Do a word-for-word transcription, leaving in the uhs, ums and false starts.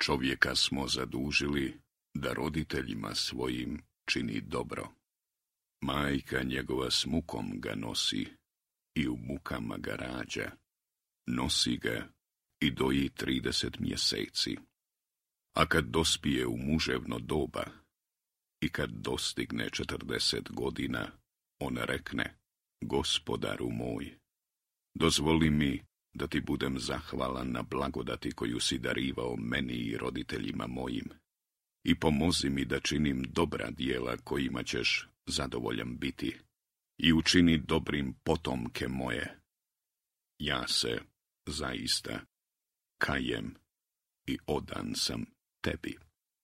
Čovjeka smo zadužili da roditeljima svojim čini dobro. Majka njegova s mukom ga nosi i u mukama ga rađa. Nosi ga i doji trideset mjeseci. A kad dospije u muževno doba i kad dostigne četrdeset godina, on rekne: Gospodaru moj, dozvoli mi da ti budem zahvalan na blagodati koju si darivao meni i roditeljima mojim, i pomozi mi da činim dobra djela kojima ćeš zadovoljan biti, i učini dobrim potomke moje. Ja se zaista kajem i odan sam tebi.